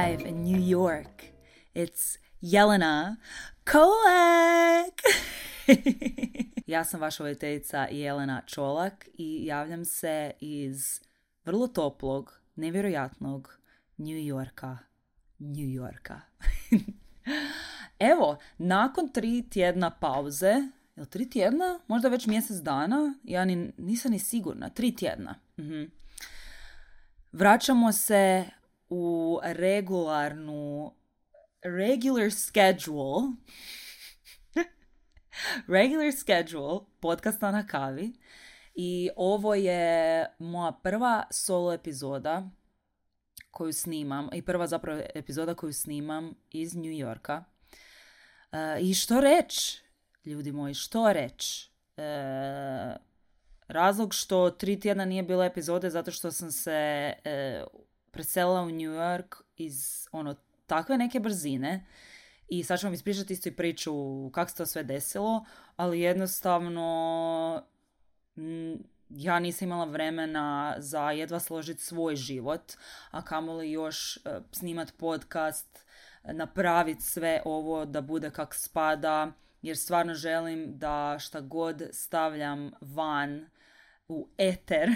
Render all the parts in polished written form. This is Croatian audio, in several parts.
live in New York. It's Jelena Kolak! Ja sam vaša voditeljica Jelena Čolak i javljam se iz vrlo toplog, nevjerojatnog New Yorka. Evo, nakon 3 tjedna pauze, jel 3 tjedna? Možda već mjesec dana? Ja nisam ni sigurna. 3 tjedna. Vraćamo se u regular schedule podcasta na kavi i ovo je moja prva solo epizoda koju snimam i prva zapravo epizoda koju snimam iz New Yorka. I što reći, ljudi moji, što reći? Razlog što 3 tjedna nije bilo epizode zato što sam se preselila u New York iz takve neke brzine i sad ću vam ispričati isto i priču kako se to sve desilo, ali jednostavno ja nisam imala vremena za jedva složiti svoj život, a kamoli još snimat podcast, napraviti sve ovo da bude kak spada, jer stvarno želim da šta god stavljam van u eter,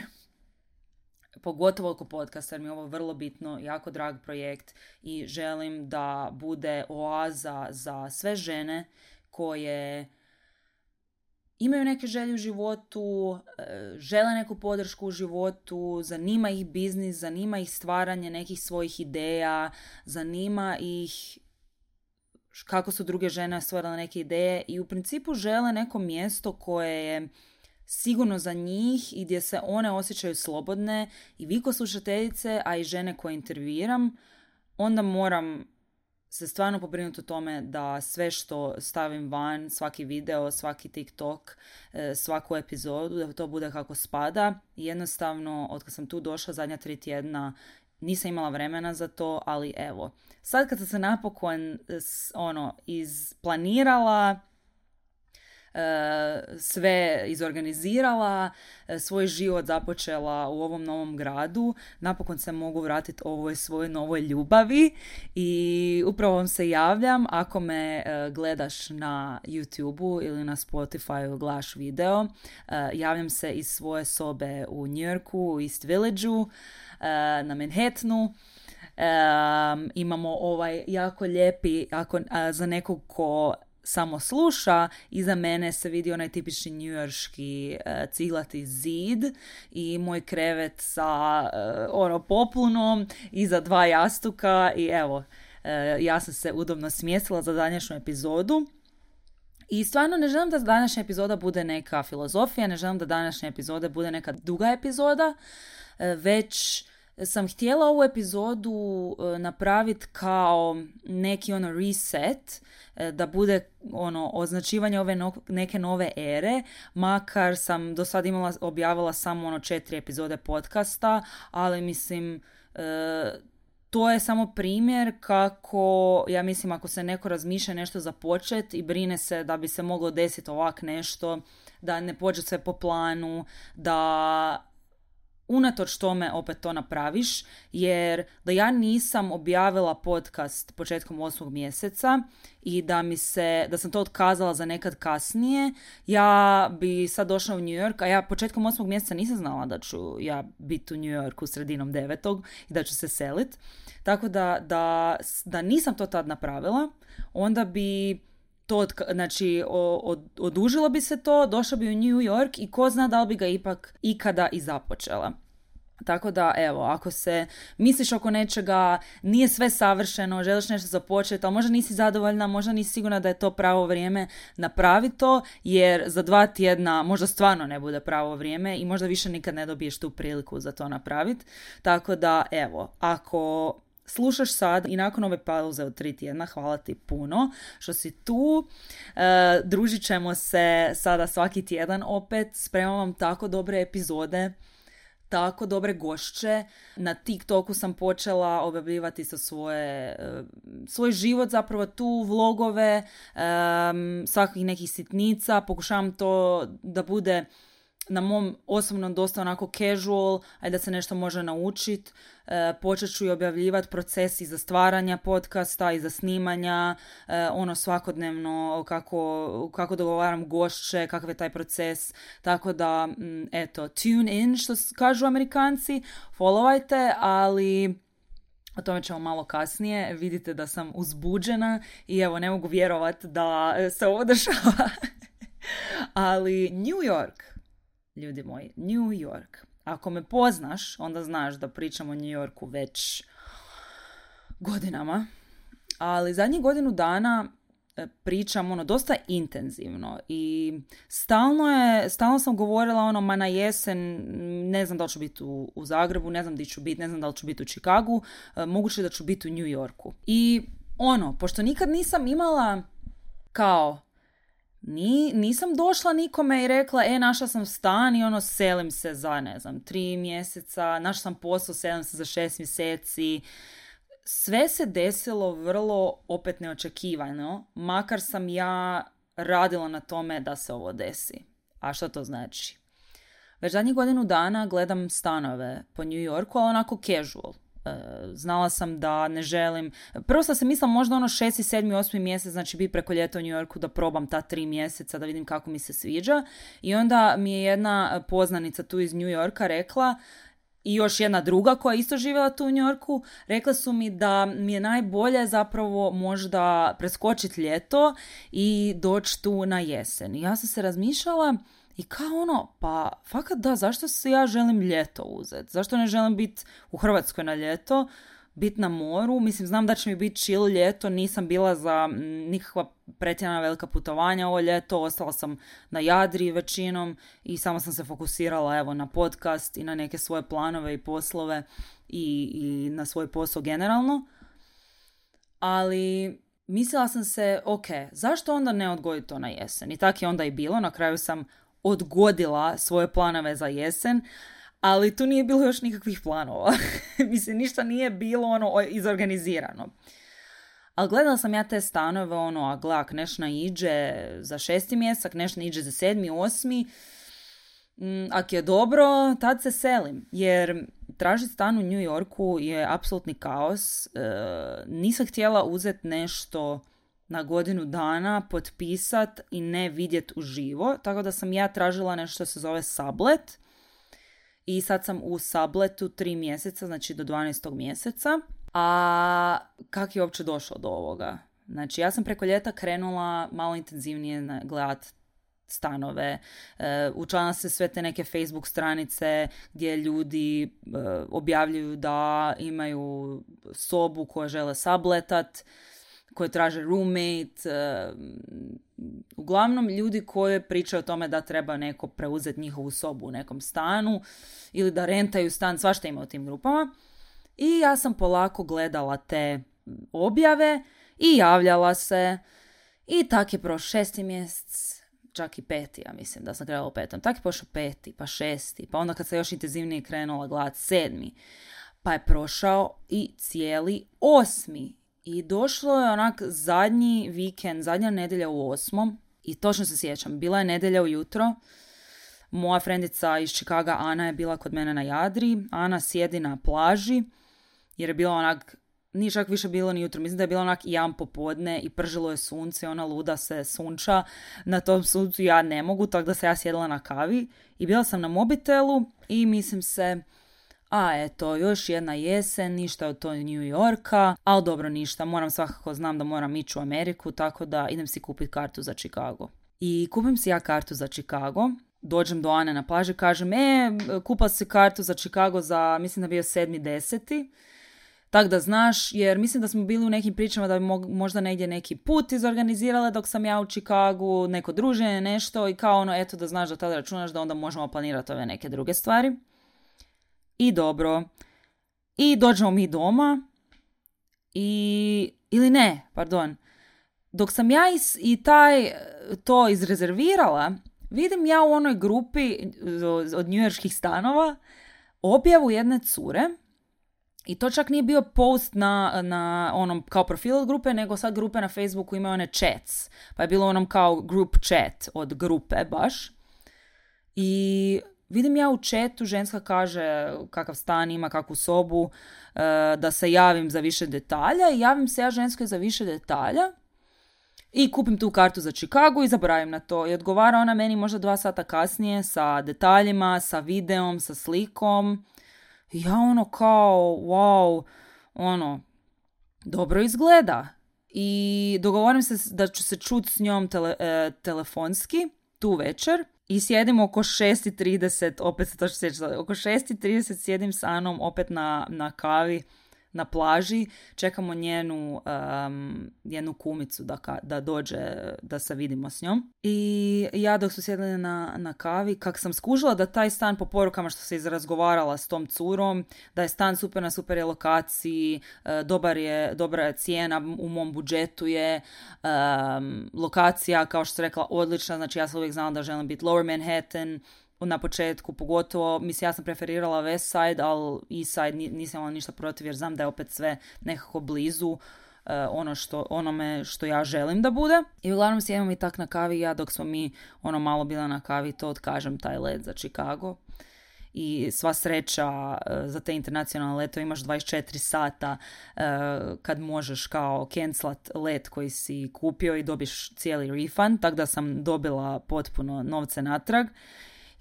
pogotovo oko podcasta, jer mi je ovo vrlo bitno, jako drag projekt i želim da bude oaza za sve žene koje imaju neke želje u životu, žele neku podršku u životu, zanima ih biznis, zanima ih stvaranje nekih svojih ideja, zanima ih kako su druge žene stvarale neke ideje i u principu žele neko mjesto koje je sigurno za njih i gdje se one osjećaju slobodne i vi ko slušateljice, a i žene koje intervjuiram, onda moram se stvarno pobrinuti o tome da sve što stavim van, svaki video, svaki TikTok, svaku epizodu, da to bude kako spada. I jednostavno, od kad sam tu došla zadnja 3 tjedna, nisam imala vremena za to, ali evo. Sad kad sam se napokon isplanirala, sve izorganizirala, svoj život započela u ovom novom gradu, napokon se mogu vratiti ovoj svojoj novoj ljubavi i upravo vam se javljam ako me gledaš na YouTubeu ili na Spotifyu, gledaš video, javljam se iz svoje sobe u New Yorku, u East Villageu, na Manhattanu. Imamo ovaj jako lijepi, za nekog ko samo sluša, iza mene se vidi onaj tipični njujorški ciglati zid i moj krevet sa poplunom iza 2 jastuka i evo, ja sam se udobno smjestila za današnju epizodu. I stvarno ne želim da današnja epizoda bude neka filozofija, ne želim da današnja epizoda bude neka duga epizoda, već sam htjela ovu epizodu napraviti kao neki reset, da bude označivanje ove neke nove ere, makar sam do sad objavila samo 4 epizode podcasta, ali mislim to je samo primjer kako, ja mislim, ako se neko razmišlja nešto započeti i brine se da bi se moglo desiti ovak nešto, da ne pođe sve po planu, da unatoč tome opet to napraviš, jer da ja nisam objavila podcast početkom 8. mjeseca i da sam to otkazala za nekad kasnije, ja bi sad došla u New York, a ja početkom 8. mjeseca nisam znala da ću ja biti u New Yorku sredinom 9. i da ću se selit. Tako da nisam to tad napravila, onda bi to, znači, odužilo bi se to, došla bi u New York i ko zna da li bi ga ipak ikada i započela. Tako da, evo, ako se misliš oko nečega, nije sve savršeno, želiš nešto započeti, ali možda nisi zadovoljna, možda nisi sigurna da je to pravo vrijeme, napravi to, jer za 2 tjedna možda stvarno ne bude pravo vrijeme i možda više nikad ne dobiješ tu priliku za to napraviti. Tako da, evo, ako slušaš sad i nakon ove pauze od 3 tjedna, hvala ti puno što si tu. Družit ćemo se sada svaki tjedan opet. Spremam vam tako dobre epizode, tako dobre gošće. Na TikToku sam počela objavljivati sa svoj život, zapravo tu vlogove, svakih nekih sitnica. Pokušavam to da bude na mom osobnom dosta onako casual, ajde da se nešto može naučiti. Počet ću i objavljivati proces iza stvaranja podcasta, iza snimanja, svakodnevno kako dogovaram gošće, kakav je taj proces. Tako da, eto, tune in, što kažu Amerikanci, followajte, ali o tome ćemo malo kasnije. Vidite da sam uzbuđena i evo, ne mogu vjerovati da se ovo dešava. Ali New York, ljudi moji, New York. Ako me poznaš, onda znaš da pričam o New Yorku već godinama. Ali zadnjih godinu dana pričam dosta intenzivno i stalno sam govorila ma na jesen, ne znam da li ću biti u Zagrebu, ne znam gdje ću biti, ne znam da li ću biti u Chicagu, moguće da ću biti u New Yorku. I pošto nikad nisam imala nisam došla nikome i rekla, našla sam stan i selim se za, 3 mjeseca, našla sam posao, selim se za 6 mjeseci. Sve se desilo vrlo opet neočekivano, makar sam ja radila na tome da se ovo desi. A što to znači? Već zadnjih godinu dana gledam stanove po New Yorku, ali onako casual. Znala sam da ne želim... Prvo sam se mislila možda 6., 7., 8. mjesec, znači biti preko ljeta u New Yorku da probam ta 3 mjeseca, da vidim kako mi se sviđa. I onda mi je jedna poznanica tu iz New Yorka rekla, i još jedna druga koja je isto živjela tu u New Yorku, rekla su mi da mi je najbolje zapravo možda preskočiti ljeto i doći tu na jesen. I ja sam se razmišljala i kao pa fakat da, zašto se ja želim ljeto uzeti? Zašto ne želim biti u Hrvatskoj na ljeto, biti na moru? Mislim, znam da će mi biti chill ljeto, nisam bila za nikakva pretjerana velika putovanja ovo ljeto, ostala sam na Jadri većinom i samo sam se fokusirala na podcast i na neke svoje planove i poslove i na svoj posao generalno. Ali mislila sam se, zašto onda ne odgoditi to na jesen? I tako je onda i bilo, na kraju sam odgodila svoje planove za jesen, ali tu nije bilo još nikakvih planova. Mislim, ništa nije bilo izorganizirano. Ali gledala sam ja te stanove, a gle, ak neš naiđe za 6. mjesec, ak neš naiđe za 7., 8. Ak je dobro, tad se selim. Jer tražiti stan u New Yorku je apsolutni kaos. Nisam htjela uzeti nešto na godinu dana, potpisat i ne vidjet uživo. Tako da sam ja tražila nešto što se zove sublet. I sad sam u subletu 3 mjeseca, znači do 12. mjeseca. A kak je uopće došlo do ovoga? Znači, ja sam preko ljeta krenula malo intenzivnije gledat stanove. Učlanila se sve te neke Facebook stranice gdje ljudi objavljuju da imaju sobu koju žele subletat, koje traže roommate, uglavnom ljudi koji pričaju o tome da treba neko preuzeti njihovu sobu u nekom stanu ili da rentaju stan, svašta ima u tim grupama. I ja sam polako gledala te objave i javljala se i tak je prošao 6. mjesec, čak i 5. ja mislim da sam krenula u 5. Tak je prošao 5. pa 6. pa onda kad sam još intenzivnije krenula gledat 7. pa je prošao i cijeli 8. I došlo je onak zadnji vikend, zadnja nedjelja u 8. I točno se sjećam, bila je nedjelja ujutro. Moja frendica iz Chicaga, Ana, je bila kod mene na Jadri. Ana sjedi na plaži, jer je bilo onak, nije čak više bilo ni jutro, mislim da je bilo onak 1 popodne i pržilo je sunce, ona luda se sunča. Na tom suncu ja ne mogu, tako da se ja sjedila na kavi. I bila sam na mobitelu i mislim se, eto, još jedna jesen, ništa od to New Yorka, ali dobro, ništa, svakako znam da moram ići u Ameriku, tako da idem si kupiti kartu za Chicago. I kupim si ja kartu za Chicago, dođem do Ane na plaži, kažem, kupila si kartu za Chicago za, mislim da bio 7.10. Tako da znaš, jer mislim da smo bili u nekim pričama da bi možda negdje neki put izorganizirale dok sam ja u Chicagu, neko druženje, nešto i kao eto da znaš da tada računaš da onda možemo planirati ove neke druge stvari. I dobro. I dođemo mi doma dok sam ja to izrezervirala, vidim ja u onoj grupi od njujorških stanova objavu jedne cure i to čak nije bio post na onom kao profil od grupe, nego sad grupe na Facebooku imaju one chats, pa je bilo onom kao group chat od grupe baš. I vidim ja u chatu, ženska kaže kakav stan ima, kakvu sobu, da se javim za više detalja i javim se ja ženskoj za više detalja i kupim tu kartu za Chicago i zaboravim na to. I odgovara ona meni možda 2 sata kasnije sa detaljima, sa videom, sa slikom. I ja kao, wow, dobro izgleda. I dogovorim se da ću se čuti s njom telefonski tu večer. I sjedim oko 6:30, opet se to što sjećam, oko 6:30 sjedim sa Anom opet na kavi na plaži, čekamo njenu jednu kumicu da dođe da se vidimo s njom. I ja dok su sjedili na kavi, kak sam skužila da taj stan po porukama što se izrazgovarala s tom curom, da je stan super na super je lokaciji, dobra je cijena, u mom budžetu je, lokacija, kao što sam rekla, odlična, znači ja sam uvijek znala da želim biti Lower Manhattan, na početku, pogotovo, mislim, ja sam preferirala West Side, ali East Side nisam imala ništa protiv, jer znam da je opet sve nekako blizu onome što ja želim da bude. I uglavnom sjedimo mi tak na kavi, ja dok smo mi malo bila na kavi, to otkažem taj let za Chicago. I sva sreća za te internacionalne letove imaš 24 sata kad možeš kao cancelat let koji si kupio i dobiš cijeli refund, tako da sam dobila potpuno novce natrag.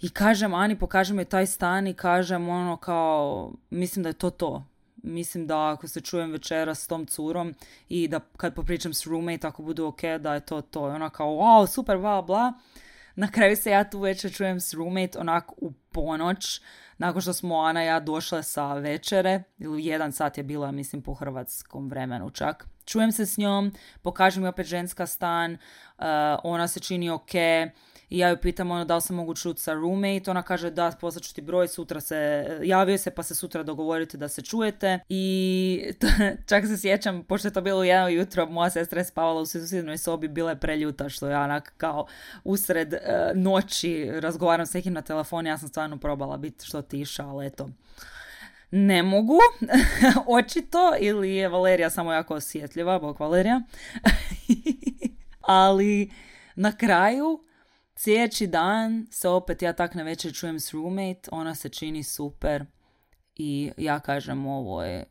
I kažem Ani, pokažem joj taj stan i kažem kao, mislim da je to. Mislim da ako se čujem večera s tom curom i da kad popričam s roommate, ako budu ok, da je to. I ona kao, wow, super, bla, bla. Na kraju se ja tu večer čujem s roommate onako u ponoć, nakon što smo Ana i ja došle sa večere, ili 1 sat je bila, mislim, po hrvatskom vremenu čak. Čujem se s njom, pokažem mi opet ženska stan, ona se čini ok, i ja ju pitam da li se mogu čuti sa roommate, ona kaže da, poslaću ti broj, sutra javio se pa se sutra dogovorite da se čujete. I čak se sjećam, pošto je to bilo u 1 jutro, moja sestra je spavala u susjednoj sobi, bila je preljuta što ja onak kao usred noći razgovaram s nekim na telefonu, ja sam stvarno probala biti što tiša, ali eto, ne mogu, očito, ili je Valerija samo jako osjetljiva, bog Valerija. Ali na kraju sljedeći dan se opet ja tak na večer čujem s roommate, ona se čini super i ja kažem ovo je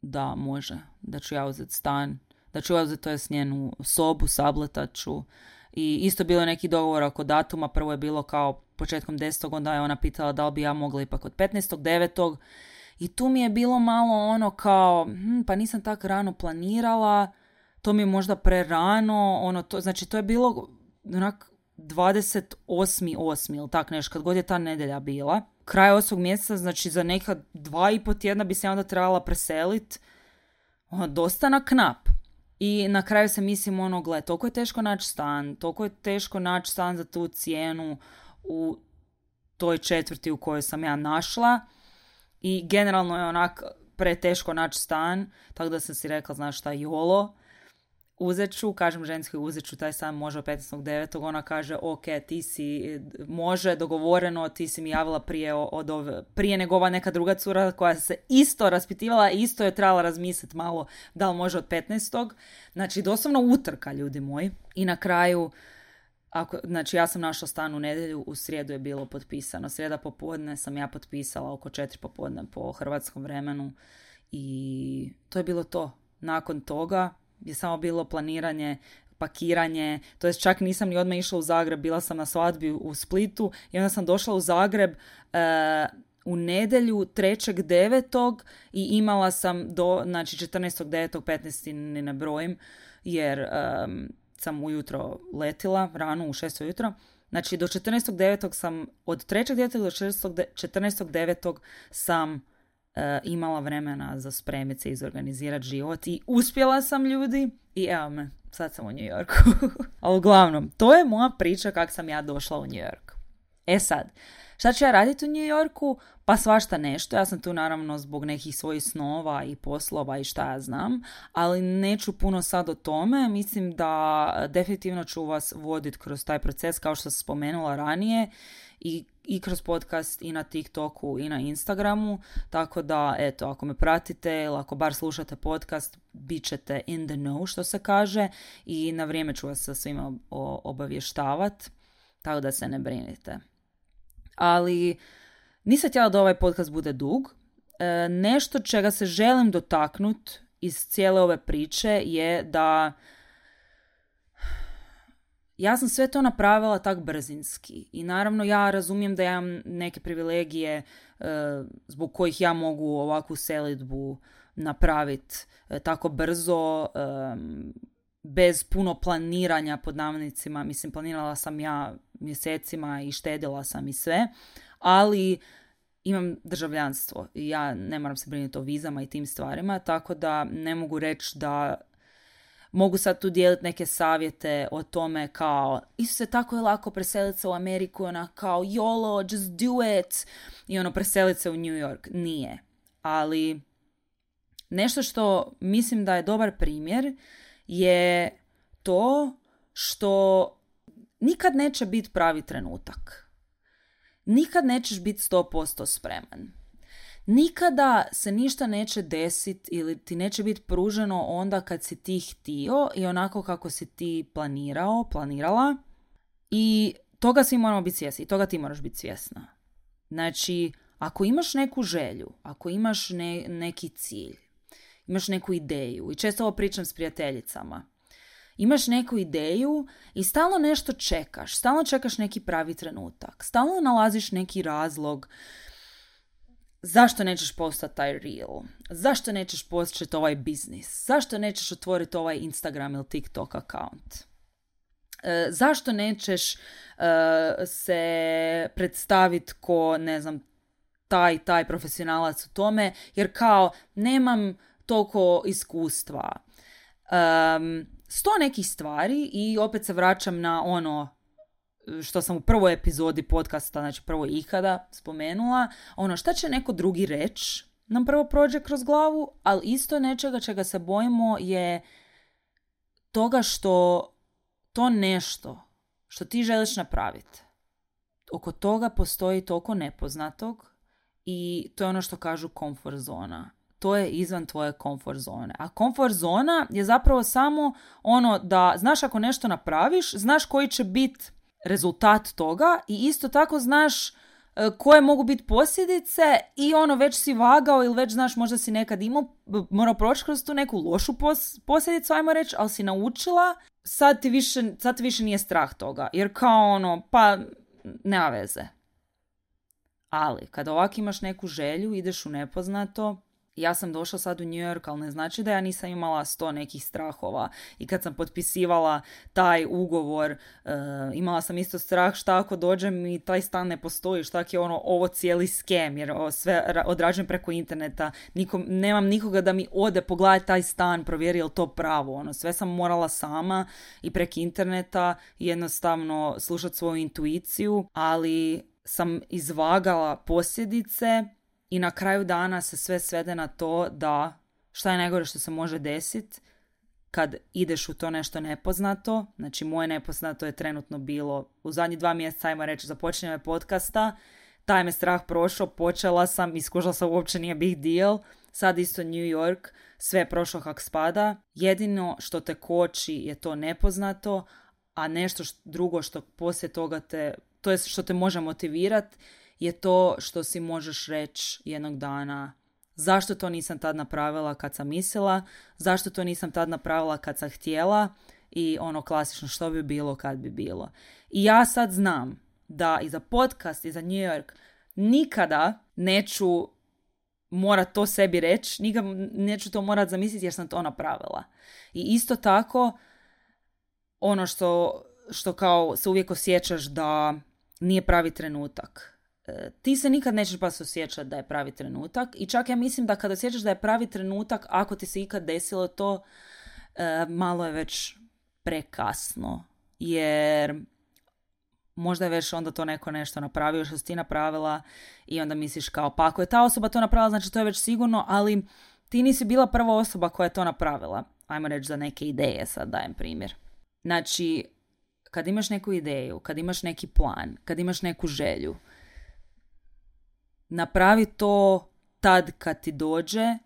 da može, da ću ja uzeti stan, da ću ja uzeti to je s njenu sobu, sabletat ću. I isto bilo neki dogovor oko datuma, prvo je bilo kao početkom 10. onda je ona pitala da li bi ja mogla ipak od 15.9. I tu mi je bilo malo kao, pa nisam tak rano planirala, to mi je možda prerano, znači to je bilo onak 28.8. ili tak nešto, kad god je ta nedjelja bila. Kraj 8. mjeseca, znači za neka 2,5 tjedna bi se onda trebala preseliti. Dosta na knap. I na kraju se mislim, gle, toliko je teško naći stan, toliko je teško naći stan za tu cijenu u toj četvrti u kojoj sam ja našla. I generalno je onak preteško naći stan, tako da sam si rekla, znaš šta, YOLO. Uzet ću, kažem ženskoj, uzet ću taj stan može 15.9. Ona kaže, ok, ti si, može, dogovoreno, ti si mi javila prije nego ova neka druga cura koja se isto raspitivala i isto je trebala razmisliti malo da li može od 15. Znači, doslovno utrka, ljudi moji. I na kraju, znači ja sam našla stan u nedjelju, u srijedu je bilo potpisano. Srijeda popodne sam ja potpisala oko 4 popodne po hrvatskom vremenu i to je bilo to. Nakon toga je samo bilo planiranje, pakiranje, to jest čak nisam ni odmah išla u Zagreb, bila sam na svadbi u Splitu i onda sam došla u Zagreb u nedjelju 3.9. i imala sam znači 14.9. 15. ni ne brojim, jer sam ujutro letila, rano u 6 ujutro. Znači do 14.9. sam, od 3.9. do 14.9. sam imala vremena za spremiti se i izorganizirati život i uspjela sam, ljudi, i evo me, sad sam u New Yorku. Ali uglavnom, to je moja priča kako sam ja došla u New York. E sad, šta ću ja raditi u New Yorku? Pa svašta nešto. Ja sam tu naravno zbog nekih svojih snova i poslova i šta ja znam, ali neću puno sad o tome. Mislim da definitivno ću vas voditi kroz taj proces kao što sam spomenula ranije i kroz podcast i na TikToku i na Instagramu, tako da eto, ako me pratite ili ako bar slušate podcast, bit ćete in the know, što se kaže, i na vrijeme ću vas sa svima obavještavati, tako da se ne brinite. Ali nisam htjela da ovaj podcast bude dug. Nešto čega se želim dotaknut iz cijele ove priče je da ja sam sve to napravila tak brzinski i naravno ja razumijem da ja imam neke privilegije zbog kojih ja mogu ovakvu selidbu napraviti tako brzo, bez puno planiranja pod navodnicima. Mislim, planirala sam ja mjesecima i štedila sam i sve, ali imam državljanstvo i ja ne moram se brinuti o vizama i tim stvarima, tako da ne mogu reći da mogu sad tu dijeliti neke savjete o tome kao Isuse, tako je lako preseliti se u Ameriku, ona kao YOLO, just do it, i ono preseliti se u New York. Nije. Ali nešto što mislim da je dobar primjer je to što nikad neće biti pravi trenutak. Nikad nećeš biti 100% spreman. Nikada se ništa neće desiti ili ti neće biti pruženo onda kad si ti htio i onako kako si ti planirala. I toga svi moramo biti svjesni i toga ti moraš biti svjesna. Znači, ako imaš neku želju, ako imaš neki cilj, imaš neku ideju, i često ovo pričam s prijateljicama, imaš neku ideju i stalno nešto čekaš, stalno čekaš neki pravi trenutak, stalno nalaziš neki razlog zašto nećeš postati taj reel, zašto nećeš početi ovaj biznis, zašto nećeš otvoriti ovaj Instagram ili TikTok account, zašto nećeš se predstaviti ko, ne znam, taj profesionalac u tome, jer kao nemam toliko iskustva. 100 nekih stvari i opet se vraćam na ono što sam u prvoj epizodi podcasta, znači prvoj ikada spomenula, ono šta će neko drugi reći nam prvo prođe kroz glavu, ali isto nečega čega se bojimo je toga što to nešto što ti želiš napraviti, oko toga postoji toliko nepoznatog i to je ono što kažu comfort zona. To je izvan tvoje comfort zone. A comfort zona je zapravo samo ono da znaš ako nešto napraviš, znaš koji će biti rezultat toga i isto tako znaš koje mogu biti posljedice i ono već si vagao ili već znaš možda si nekad morao proći kroz tu neku lošu posljedicu, ajmo reći, ali si naučila, sad ti više nije strah toga. Jer kao ono, pa nema veze. Ali kada ovak imaš neku želju, ideš u nepoznato. Ja sam došla sad u New York, ali ne znači da ja nisam imala 100 nekih strahova. I kad sam potpisivala taj ugovor, imala sam isto strah šta ako dođem i taj stan ne postoji, šta je ovo cijeli skem, jer sve odrađujem preko interneta. Nemam nikoga da mi ode pogledati taj stan, provjeri je li to pravo. Sve sam morala sama i preko interneta jednostavno slušati svoju intuiciju, ali sam izvagala posljedice. I na kraju dana se sve svede na to da šta je najgore što se može desiti kad ideš u to nešto nepoznato. Znači moje nepoznato je trenutno bilo u zadnjih 2 mjeseca, ajmo reći, započinjanje podcasta. Taj me strah prošao, počela sam, iskušala sam, uopće nije big deal. Sad isto New York, sve je prošlo kak spada. Jedino što te koči je to nepoznato, a nešto drugo što poslije toga to je što te može motivirati, je to što si možeš reći jednog dana zašto to nisam tad napravila kad sam mislila, zašto to nisam tad napravila kad sam htjela i ono klasično što bi bilo kad bi bilo. I ja sad znam da i za podcast i za New York nikada neću morat to sebi reći, nikada neću to morat zamisliti jer sam to napravila. I isto tako ono što kao se uvijek osjećaš da nije pravi trenutak. Ti se nikad nećeš baš osjećati da je pravi trenutak i čak ja mislim da kada osjećaš da je pravi trenutak, ako ti se ikad desilo to, malo je već prekasno, jer možda je već onda to neko nešto napravio što si ti napravila i onda misliš kao pa ako je ta osoba to napravila znači to je već sigurno, ali ti nisi bila prva osoba koja je to napravila. Ajmo reći za neke ideje, sad dajem primjer. Znači, kad imaš neku ideju, kad imaš neki plan, kad imaš neku želju, napravi to tad kad ti dođe,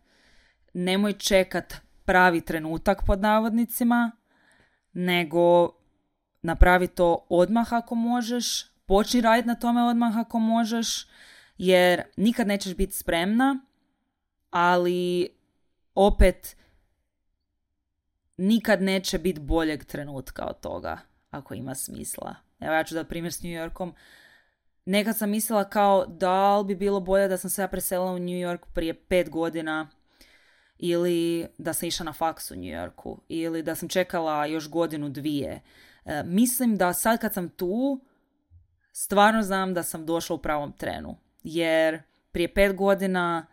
nemoj čekat pravi trenutak pod navodnicima, nego napravi to odmah ako možeš, počni raditi na tome odmah ako možeš, jer nikad nećeš biti spremna, ali opet nikad neće biti boljeg trenutka od toga, ako ima smisla. Evo ja ću da primjer s New Yorkom. Nekad sam mislila kao da li bi bilo bolje da sam se ja preselila u New York prije 5 godina ili da sam išla na faks u New Yorku ili da sam čekala još godinu, dvije. Mislim da sad kad sam tu, stvarno znam da sam došla u pravom trenu. Jer prije 5 godina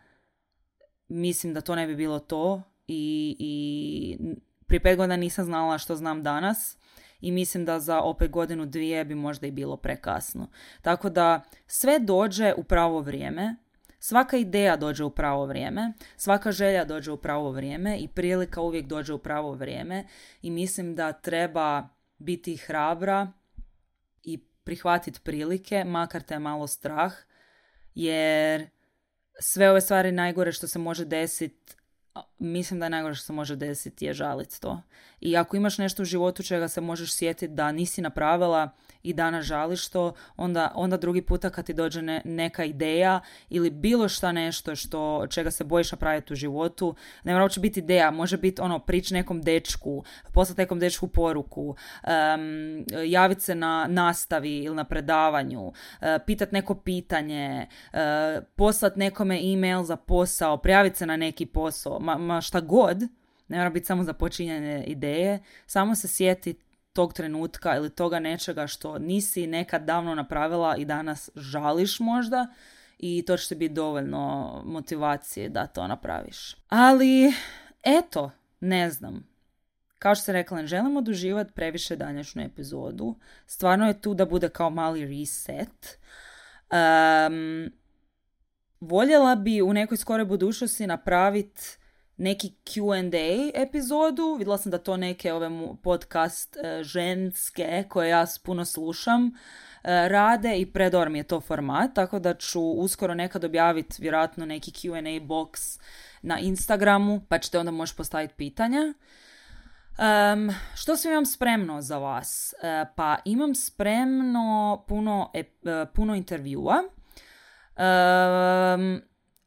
mislim da to ne bi bilo to i prije 5 godina nisam znala što znam danas i mislim da za opet godinu, dvije bi možda i bilo prekasno. Tako da sve dođe u pravo vrijeme, svaka ideja dođe u pravo vrijeme, svaka želja dođe u pravo vrijeme i prilika uvijek dođe u pravo vrijeme i mislim da treba biti hrabra i prihvatiti prilike, makar te je malo strah, jer sve ove stvari najgore što se može desiti, mislim da je najgore što se može desiti je žaliti to. I ako imaš nešto u životu čega se možeš sjetiti da nisi napravila i danas žališ to, onda drugi puta kad ti dođe neka ideja ili bilo šta nešto čega se bojiš napraviti u životu, ne mora uopće biti ideja, može biti prići nekom dečku, poslati nekom dečku poruku, javiti se na nastavi ili na predavanju, pitati neko pitanje, poslati nekome e-mail za posao, prijaviti se na neki posao, ma šta god, ne mora biti samo za počinjanje ideje, samo se sjeti tog trenutka ili toga nečega što nisi nekad davno napravila i danas žališ možda i to će ti biti dovoljno motivacije da to napraviš. Ali, eto, ne znam. Kao što sam rekla, ne želim oduživati previše današnju epizodu. Stvarno je tu da bude kao mali reset. Voljela bi u nekoj skoroj budućnosti napraviti neki Q&A epizodu. Vidjela sam da to neke ove podcast ženske koje ja puno slušam rade i predor mi je to format, tako da ću uskoro nekad objaviti vjerojatno neki Q&A box na Instagramu, pa ćete onda moći postaviti pitanja. Što sve imam spremno za vas? Pa imam spremno puno intervjua.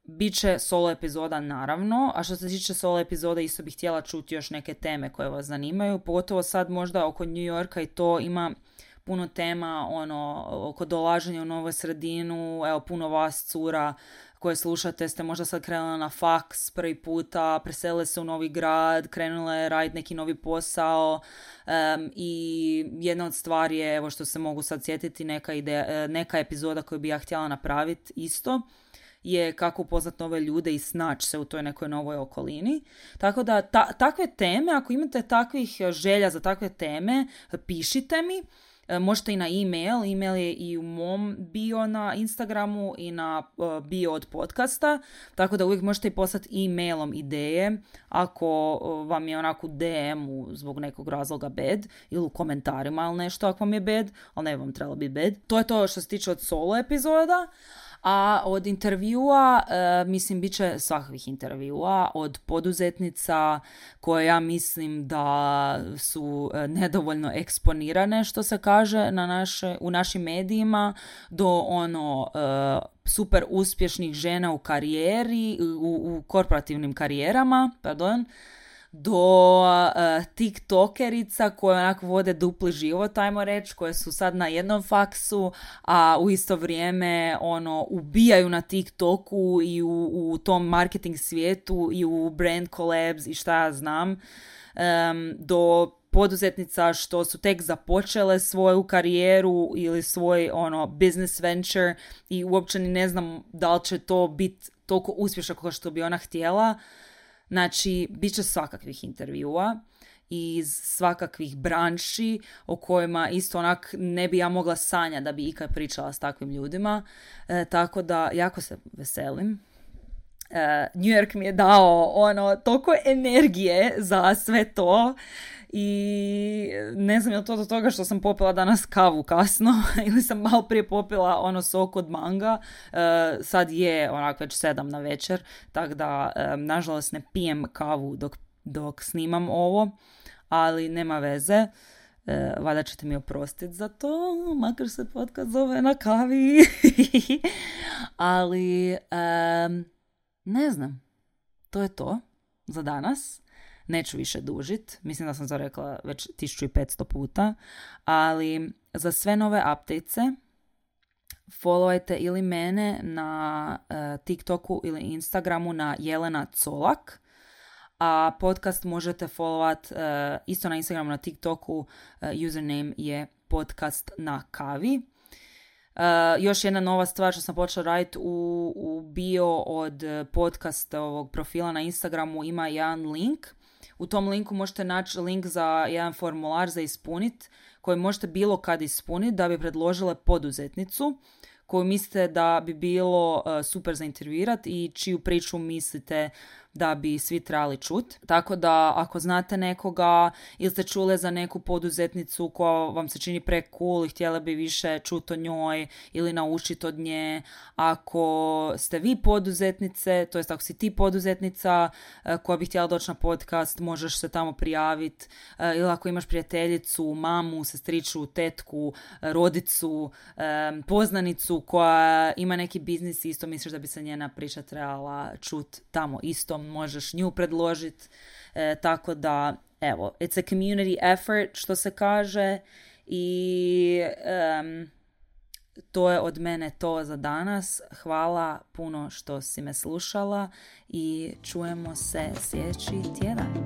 Biće solo epizoda naravno, a što se tiče solo epizode isto bih htjela čuti još neke teme koje vas zanimaju, pogotovo sad možda oko New Yorka i to ima puno tema oko dolaženja u novu sredinu, evo puno vas cura koje slušate ste možda sad krenule na faks prvi puta, preselile se u novi grad, krenule raditi neki novi posao i jedna od stvari je, evo što se mogu sad sjetiti, neka epizoda koju bi ja htjela napraviti isto, je kako upoznat nove ljude i snaći se u toj nekoj novoj okolini. Tako da takve teme, ako imate takvih želja za takve teme, pišite mi. Možete i na e-mail. E-mail je i u mom bio na Instagramu i na bio od podcasta. Tako da uvijek možete i poslati e-mailom ideje ako vam je onako DM-u zbog nekog razloga bad ili u komentarima ili nešto ako vam je bad, ali ne bi vam trebalo biti bad. To je to što se tiče od solo epizoda. A od intervjua, mislim, bit će svakakvih intervjua, od poduzetnica koje ja mislim da su nedovoljno eksponirane, što se kaže, u našim medijima, do super uspješnih žena u karijeri, u korporativnim karijerama, do tiktokerica koje onako vode dupli život, ajmo reći, koje su sad na jednom faksu, a u isto vrijeme ubijaju na TikToku i u tom marketing svijetu i u brand collabs i šta ja znam, do poduzetnica što su tek započele svoju karijeru ili svoj business venture i uopće ni ne znam da li će to biti toliko uspješno kao što bi ona htjela. Znači, bit će svakakvih intervjua iz svakakvih branši o kojima isto onak ne bi ja mogla sanjati da bi ikad pričala s takvim ljudima. Tako da jako se veselim. New York mi je dao toliko energije za sve to i ne znam je li to do toga što sam popila danas kavu kasno ili sam malo prije popila sok od manga. Sad je već 7 na večer, tako da nažalost ne pijem kavu dok snimam ovo, ali nema veze. Valjda ćete mi oprostiti za to, makar se podcast zove Na kavi. Ali, ne znam, to je to za danas. Neću više dužit, mislim da sam to rekla već 1500 puta, ali za sve nove updatese followajte ili mene na TikToku ili Instagramu na Jelena Colak, a podcast možete followat isto na Instagramu, na TikToku, username je podcast na kavi. Još jedna nova stvar što sam počela raditi u bio od podcasta ovog profila na Instagramu ima jedan link. U tom linku možete naći link za jedan formular za ispuniti koji možete bilo kad ispuniti da bi predložile poduzetnicu koju mislite da bi bilo super za intervjuirati i čiju priču mislite da bi svi trebali čut. Tako da ako znate nekoga ili ste čuli za neku poduzetnicu koja vam se čini pre cool i htjeli bi više čut o njoj ili naučiti od nje, ako ste vi poduzetnice, to jest ako si ti poduzetnica koja bi htjela doći na podcast, možeš se tamo prijaviti, ili ako imaš prijateljicu, mamu, sestriču, tetku, rodicu, poznanicu koja ima neki biznis i isto misliš da bi se njena priča trebala čut tamo isto, možeš nju predložiti, tako da evo, it's a community effort što se kaže i to je od mene to za danas. Hvala puno što si me slušala i čujemo se sljedeći tjedan.